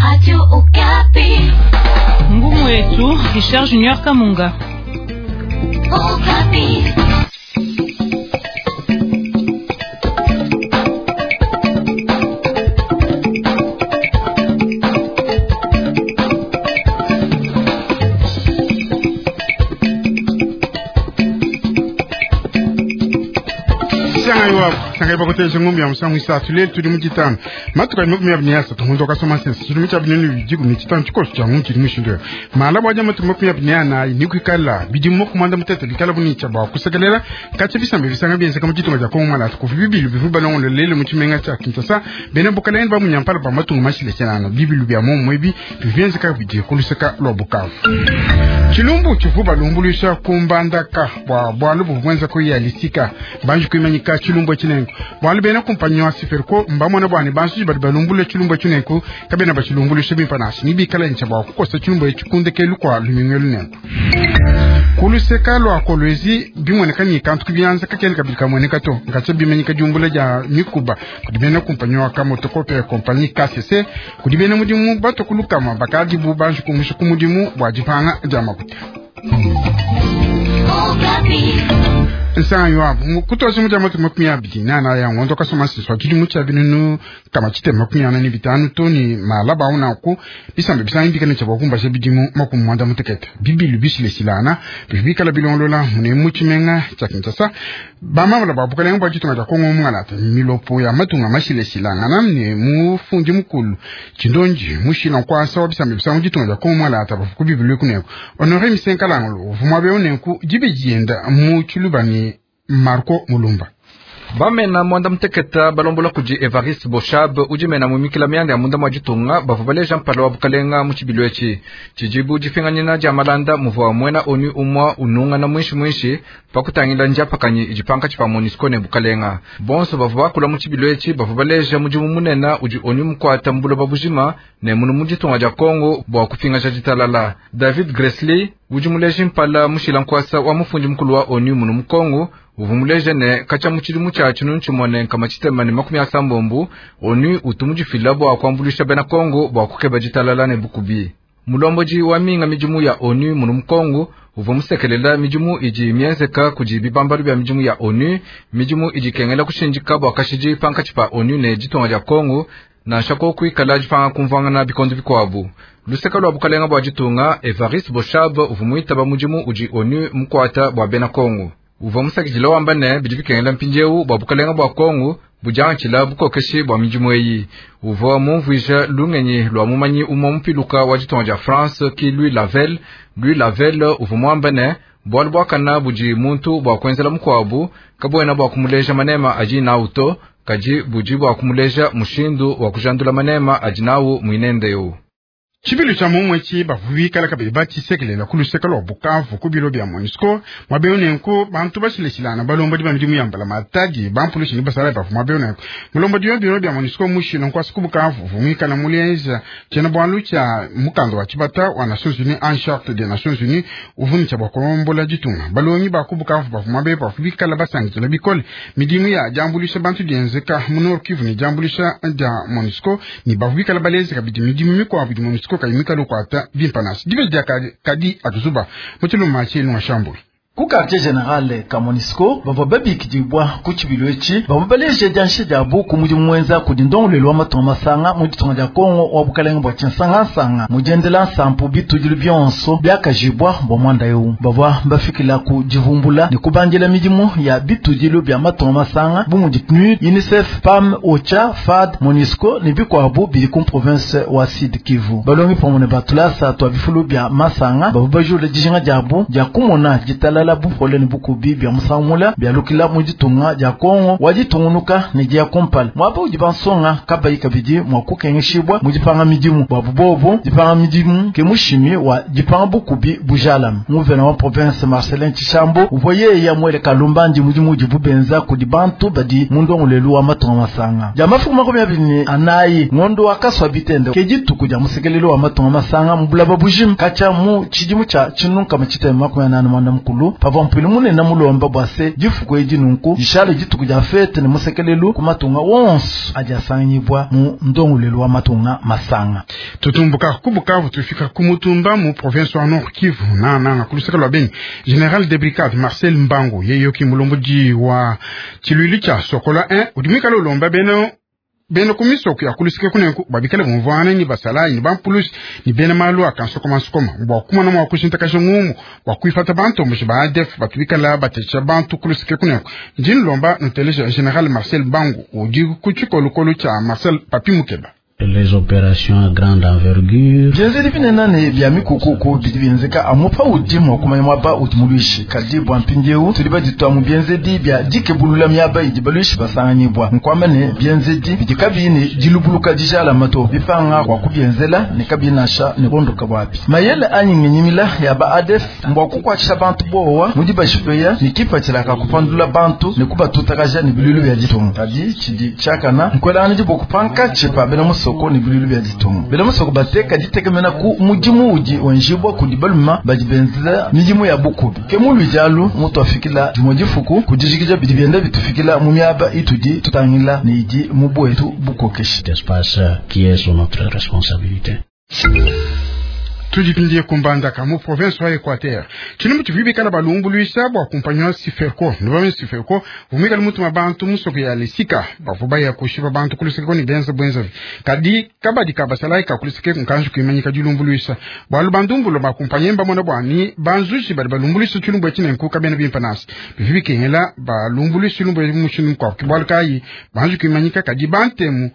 Radio Okapi. Ngumu yetu Richard Junior Kamunga. Okapi. Sangai bakotelesha ngombe ya musangu isatu lelo tuli mu tshitanu matuka ali makumi abili ne asatu ngondo kasoma sense tshilumu tshia binene bidi kumi tshitanu tshikoso tshia ngu tshili mushindu yo mala bwaja matuka makumi abili ne anayi ni kuikala bidimu makumi anda mutete bikala bunitsha bua kusekelela katshia bisamba bisanga bienzeka mu tshitunga tshia Kongo malatu kuvi bibilu bivu balongolo lelo mu tshimenga tshia Kinshasa bena bukalenge ba munyampala ba matunga mashileshelana bibilu bia momumue ebi bivu bienzeka bidi kuluseka lua Bukavu tshilumbu tshivu balumbuluisha ku Mbandaka bua bualu buvua buenza ku Yalisika banji kuimanyika tshilumbu etshi nenku bualu bena kumpanyi wa Siferco mbamona bua ne bantu badi balumbulula tshilumbu etshi nenku kabena batshilumbuluisha bimpe nansha ne bikala ntsha bua kukosa tshilumbu etshi ku ndekelu kua lumingu elu nenku ku luseka lua Kolwezi bimueneka ne kantu ku bianza kakena kabidi kamueneka to nkatshia bimanyika diumbula dia mikuba kudi bena kumpanyi wa Kamotokope kompanyi KCC kudi bena mudimu batua ku lukama bakadibu banji kumusha ku mudimu bua dipanga dia makuta. Okapi. Nsanga yuabu kutosa mu dia matuku makumi abidi ne anayi a ngondo kasoma nsisi tshidimu tshia binunu kama tshitema makumi ana ne bitanu to ne malaba au nanku bisamba bisangi bikale tshia bua kumbasha bidimu makumi muanda mutekete bibilu bishileshilana bidi bikala bilongolola mune mu tshimenga tshia Kinshasa bamamala ba bukalenge bua ditunga dia Kongo mungalata milopo ya matunga mashileshilangana ne mufundi mukulu tshindonji mushila nkuasa wa bisamba bisangi ditunga dia Kongo mungalata bavu ku bibilu kuneko Honore Misenkalangolo uvua muabe unenku dibe dienda mu tshiluba ne Marco Mulumba. Bamena mwanda muteketa balombola kudi Evariste Boshab udi mena mumikila mianda ya munda mwa ditunga bavua baleja mpala wa bukalenga mu tshibilu etshi tshidibu dipinganyina dia malanda muvua muena ONU umua unungana mwinshi mwinshi pa kutangila ndiapakanyi idi pankatshi pa MONUSCO ne bukalenga bonso bavua bakula mu tshibilu etshi bavua baleja mudimu munene udi ONU mukuata mu buloba bujima ne munu mu ditunga dia Kongo bua kupingaja ditalala. David Gressly udi muleji mpala mushila nkuasa wa mufundi mukulu wa ONU munu mu Kongo uvua muleja ne katshia mu tshidimu tshia tshinunu tshimue ne nkama tshitema ne makumi asambombo ONU utu mudifila bua kuambuluisha bena Kongo bua kukeba ditalala ne bukubi. Mulombodi wa minga midimu ya ONU munu mu Kongo uvua musekelela midimu idi mienzeka kudi bibambalu bia midimu ya ONU, midimu idi ikengela kushindika bua kashidi pankatshi pa ONU ne ditunga dia Kongo nansha ko kuikala dipanga kumvuangana bikondo bikuabu. Luseka lua bukalenga bua ditunga Evariste Boshab uvua muitaba mudimu udi ONU mukuata bua bena Kongo. Uvua musakidila wamba ne bidi bikengela mpindieu bua bukalenga bua Kongo budiangatshila bukokeshi bua midimu eyi. Uvua mumvuija lungenyi lua mumanyi umue mupiluka wa ditunga dia France ki Louis Lavel. Louis Lavel uvua muamba ne bualu buakana budi muntu bua kuenzela mukuabu kabuena bua kumuleja manema adi nawu to, kadi budi bua kumuleja mushindu wa kujandula manema adi nawu muinende eu. Tshibilu tshia momumue etshi bavua bikala kabidi batshisekelela ku luseke lua Bukavu ku bilo bia MONUSCO muaba eu nenku bantu bashilashilangana balombodi ba midimu ya mbulamatadi bampulushi ne basalayi bavua muaba eu nenku mulombodi wa biro bia MONUSCO mushila nkuasa ku Bukavu uvua muikala muleja tshiena-bualu tshia mukanda wa tshibata wa Nations Unies en charte des Nations Unies uvua ne tshia bua kulombola ditunga. Balongi ba ku Bukavu bavua muaba eu bavua bikala basankidila bikole midimu ya diambuluisha bantu dienzeka mu Nord Kivu ne diambuluisha dia MONUSCO ne bavua bikala baleja kabidi midimu mikuabu idi MONUSCO kayi mikale ukuata bimpe nansha. Dibeji dia kadi atuzuba mu tshiluma tshienu shambulu. Ku quartier general ka MONUSCO bavua babikidibwa ku tshibilu etshi bavua baleja dianyisha diabu ku mudimu muenza kudi ndongoluelu wa matunga masanga mu ditunga dia Kongo wa bukalenge bua tshinsangansanga mu diendela nsampu bitudilu bionso biakajibwa bua muanda eu. Bavua bafikila ku divumbula ne kubandila midimu ya bitudilu bia matunga masanga bu mudi PNUD, UNICEF, PAM, OCHA, FAD, MONUSCO ne bikuabu bidi ku province wa Sud Kivu. Balongi pamue ne batulasa tua bifulu bia masanga bavua bajula dijinga diabu dia kumona ditalala bupole ne bukubi bia musangu mula bialukila mu ditunga dia Kongo wa ditungunuka ne dia kumpala muaba udi bansonga kabayi kabidi mua kukengeshibwa mu dipanga midimu bua bubobo dipanga midimu ke mushimi wa dipanga bukubi bujalama. Nguvena wa province Marcelin Tshishambo uvua yeye muele kalumbandi mudimu udibu benza kudi bantu badi mu ndongoluelu wa matunga masanga dia mafuku makumi abidi ne anayi ngondo wa kaswa bitende ke dituku dia musekelelu wa matunga masanga mu bulaba bujima katshia mu tshidimu tshia tshinunu nkama tshitema makumi anani muanda mukulu. pavua mpuilu munene mulomba bua se difuku edi nunku dishale dituku dia fete ne musekelelu ku matunga wonso adi asanganyibua mu ndongoluelu wa matunga masanga. Tutumbuka ku Bukavu tufika ku Mutumba mu province wa Nord Kivu nananga ku luseke lua Beni. General de brigade Marcel Mbangu yeyoki mulombodi wa tshiluilu tshia Sokola 1 udi muikale ulomba bena bena ku misoko ya kuluseke kunenku babikale bumvuangana ni basalayi ni bampulusi ni bena malu a kansokomansokoma bua kumona mua kushintakasha ngumu bua kuipata bantomboshi ba ADF batu bikala batesha bantu kuluseke kunenku. Ndi nlomba nuteleja General Marcel Mbangu udi ku tshikolokolo tshia Marcel Papi Mukeba. Les opérations à grande envergure. Bienzedi binene ne bia mikukuku bidi bienzeka amu paudi mua kumanya muaba udi muluishi. Kadi bua mpindieu tudi baditua mu bienzedi bia dikebulula miaba idi baluishi basanganyibua. Nkuamba ne bienzedi bidi kabiyi ne dilubuluka dijalama to, bipanga bua kubienzela ne kabiyi nansha ne kuondoka buabi. Mayele anyi ngenyimila ya ba ADF mbua kukuatshisha bantu bowa mu dibashipeya ne kipatshila ka kupandula bantu ne kubatutakaja ne biluilu bia ditunga. Kadi tshidi tshiakana nkuelangana diboko pankatshi pa bena musoko ne biluilu bia ditunga. Bena musoko bateka ditekemena ku mudimu udi wenjibua kudi baluma badi benzela midimu ya bukubi. Ke muluidi alu mutuafikila dimue difuku ku dijikija bidi bienda bitufikila mu miaba itudi tutangila ne idi mu buetu bukokeshi. Espace qui est sous notre responsabilité. Tudipindie ku Mbandaka mu province wa Equateur. Tshilumbu tshivua bikala balumbuluisha bua kumpanyi wa Siferco. Nubame Siferco vumikala mutuma bantu musoko ya Lesika bavua baya kushipa bantu kuluseke ni benza bwenzavi. Kadi kabadi kabasalayi ka kuluseke nkanji kuimanyika dilumbuluisha. Bualu bandumbulo ba kumpanyi mbamona bua ni banzushi badi balumbuluisha tshilumbu etshi nenku kabena bimpe nasi. Bivi bikengela balumbuluisha tshilumbu etshi mushindu mukuabu. Bualu kayi banji kuimanyika kadi bantemu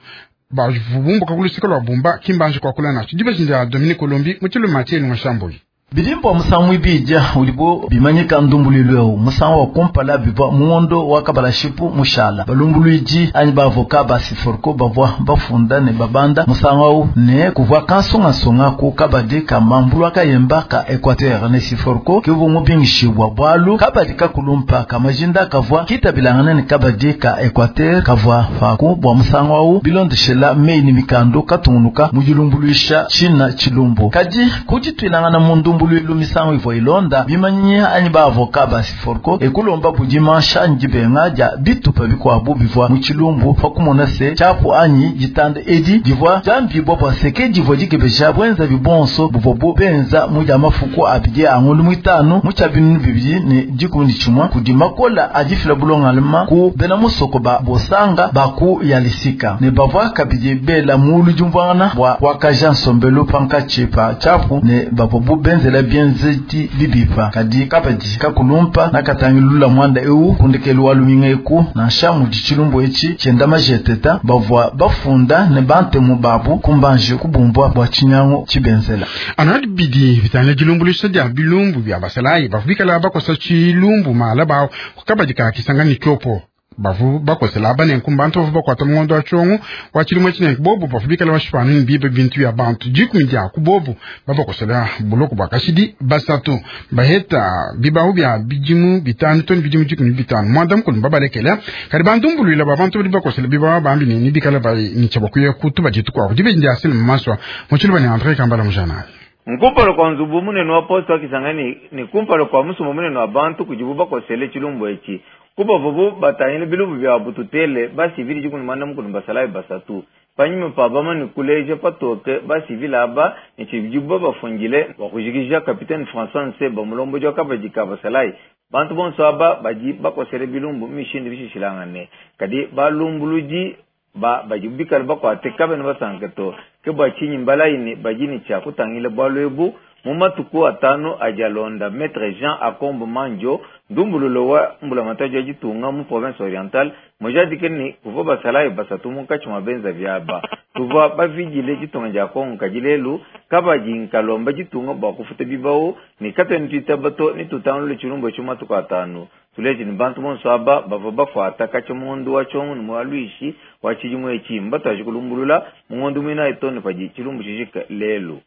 bavubumbuka kuluseke lua Bumba kimbanji kuakula nacho. Dibeji dia Dominique Colombi mu tshiluma tshielu Ngashambui. Bidimba musangu ibidya ulibo bimanyika ndumbuluilu eu musangu wa kumpala bivua muondo wa kabalashipu mushala balumbuluidi anyi bavoka ba Siforco bavua bafunda ne babanda musangu au ne kuvua kansungasunga ku kabadi ka mambulu kayemba ka Equateur ne Siforco kivua mubingishibwa bwalu kabadi kakulumpa ka majinda kavua kitabilangana ne kabadi ka Equateur kavua faku bwa musangu au bilondeshela mei ni mikando katungunuka mudilumbuluisha china chilumbu kadi kuditwilangana mundu mbuluilu misangu ivua ilonda bimanyinya anyi baavoka ba Siforco ekulomba budimansha anyi dibenga dia bitupa bikuabu bivua mu tshilumbu pakumona se tshiapu anyi ditanda edi divua diambibua bua seke divua dikebesha bwenza bibonso buvua bu benza mu dia mafuku abidi a ngolu muitanu mu tshia binunu 2011 kudi makola adifila bulongalema ku bena musoko ba bosanga baku ya lisika ne bavua kabidi bela mulu diumvuangana bua kuakaja nsombelu pankatshi pa tshiapu ne bavua bu benza la bienzedi bibipa kadi kabadi kakulumpa nakatangilula mwanda eu kundekelu wa luminga eku nansha mudi tshilumbu etshi tshienda majeteta bavua bafunda ne bantemu babu kumbanje kubumbwa bua tshinyango tshibenzela. Anadi bidi bitangila dilumbuluisha dia bilumbu bia basalayi bavua bikala bakosa tshilumbu mala bawo kabadi ka Kisangani Tshopo. Bavu bakosela banenku bantu bavu bakwata mungondo wa tshongo wa tshilumbu tshinenku bobu bavu bikala bashipanu ni bibe bintu ya bantu dikumi dia ku bobu babakosela buloko bwa kashidi basatu baheta bibahu bya bidimu bitanu toni bidimu 15 mwanda mukulu babalekela kadi bandumbuluila ba bantu badi bakosela bibahu bambi ni bikala ba ni tshabakuya kutu bajitu kwa dibe ndi asile maswa mutshilu bani Andre Kambala mujana nkumpalo kwa nzubu munene wa posto wa Kisangani ni kumpalo kwa musumo munene wa bantu kujibu bakosele tshilumbu etshi kubavubu batangile bilumbu bya bututele basivili dikumi mwanda mukulu basalayi basatu panyima pa bamani kuleja patoke basivili aba ne tshidibu bafungile bakujikija capitaine François Nseba mulomboji wa kabadi ka basalayi bantu bonso aba badi bakosele bilumbu mishindi bishishilangane kadi balumbuludi ba badi bikala bakwate kabene basanke to ke bua tshinyi mbalayi badi ne tshia kutangila bualu ebu mu matuku atanu ajalonda Maître Jean Akombo Manjo ndumbululo wa mbulamatadi ya ditunga mu province orientale mujadike ni kuvua basalayi basatu munkatshi mua benza biaba tuvua bavidile ditunga dia Kongo kadi lelu kabadi nkalomba ditunga bua kufuta bibawu ni katwene tuitaba to ni tutangulule tshilumbu etshi matuku atanu tuleji ni bantu bonso aba bavua bakuata katshi mundu wa tshongo ni mualuishi wa tshidimu etshi mbatuaji kulumbulula mungondu muina etoni padi tshilumbu tshijika lelu.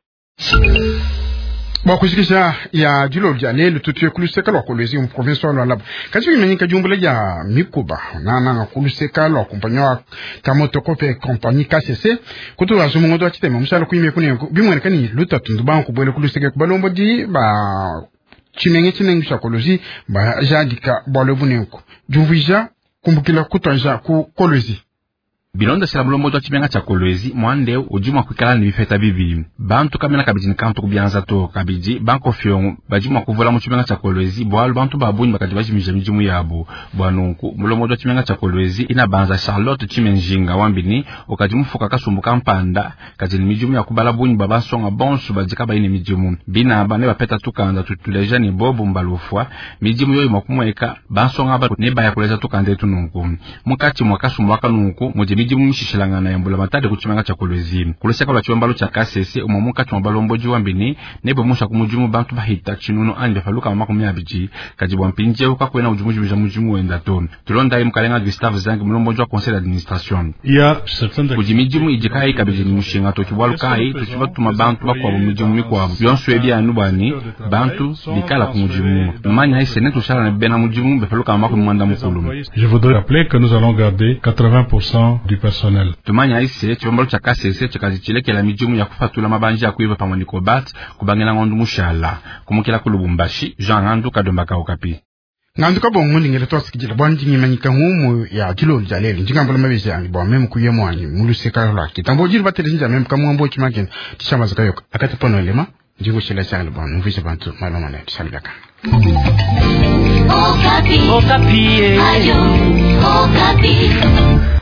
Bua kujikija ya dilolo dia lelu tutuye kuluseka lua Kolwezi mu province wa Lualaba kadi bimanyika diumbula dia mikuba nananga kuluseka lua kumpanyi wa Kamotokope compagnie KCC kutu azumungondo wa tshitema mushala kuime kunenku bimueneka ni lutatu ndubanku bwele kuluseka kubalombodi ba Tshimenga tshinengi tshia Kolwezi bajadika bwalo bunenku diumvuija kumbukila kutwanja ku Kolwezi. Bilondeshela mulombodi wa tshimenga tshia Kolwezi mwande udi mua kuikala ne bipeta bibi bantu kamena kabidi ne kantu kubianza to kabidi bankofiongo badi mua kuvula mu tshimenga tshia Kolwezi bwalu bantu ba bungi bakadi bajimija midimu yabu bwa nunku mulombodi wa tshimenga tshia Kolwezi ina banza Charlotte Tshimenjinga wambini ukadi mufuka kasumbu kampanda kadi ne midimu ya kubala bungi bwa bansonga bonso badi kabayi ne midimu binaba ne bapeta tukanda tutuleja ne bobu mbalufwa midimu yoyo mua kumweka bansonga aba ne baya kuleja tukanda etu nunku mukati mwa kasumbu aka nunku mudi midimu mishishilangana ya mbula matadi ku tshimenga tshia Kolwezi kuluseka lwa tshibambalu tshia Kasese umwe mukati mwa balomboji wambini ne bomusha ku mudimu bantu bahita tshinunu anyi bafaluka 20 kadi bwa mpindieu kakwena udi mujimija mudimu wenda to tulondayi mukalenga Gustave Zang mulomboji wa conseil d'administration kudi midimu idi kayi kabidi ne mushinga to tshibwalu kayi tutshi batuma bantu bakuabu midimu mikuabu bionso ebi anu bwani bantu bikala ku mudimu manya ise ne tushala ne bena mudimu bafaluka 90. Je voudrais rappeler que nous allons garder 80% du personnel. Tumanya ise tshibambalu tshia Kasese tshikazi tshilekela midimu ya kufatula mabanja ya kuiva pamwe ne kobat kubangila ngondo mushala kumukila ku Lubumbashi Jean Ngandu Kadomba Okapi. Ngandu kabongo ndingela twasikijila bwa ndingimanyika ngumu ya dilolo dia lelo ndingambula mabezi angi bwa meme kuye mwanyi muluseka lwa kitambo jiri batele nja meme kamwambo chimakene tishambaza kayoka akati pono elema ndingushela shangela bwa numvise bantu maloma na tishalibaka. Okapi. Okapi. Ayo, Okapi.